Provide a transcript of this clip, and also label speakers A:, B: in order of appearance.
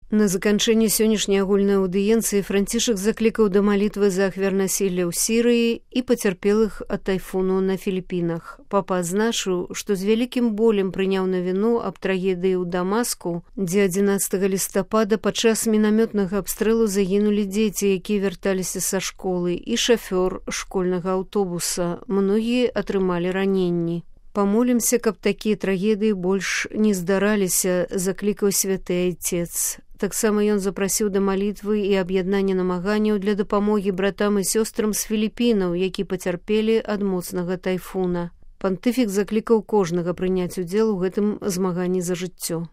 A: На заканчэнне сённяшняй агульнай аўдыенцыі Францішак заклікаў да малітвы за ахвяр насілля ў Сірыі і пацярпелых ад тайфуну на Філіпінах. Папа адзначыў, што з вялікім болем прыняў навіну аб трагедыі ў Дамаску, дзе 11 лістапада падчас мінамётнага абстрэлу загінулі дзеці, якія вярталіся са школы, і шафёр школьнага аўтобуса. Многія атрымалі раненні. Памолімся, каб такія трагедыі больш не здараліся, заклікаў святы айцец. Таксама ён запрасіў да малітвы і аб'яднання намаганняў для дапамогі братам і сёстрам з Філіпінаў, які пацярпелі ад моцнага тайфуна. Пантыфік заклікаў кожнага прыняць удзел у гэтым змаганні за жыццё.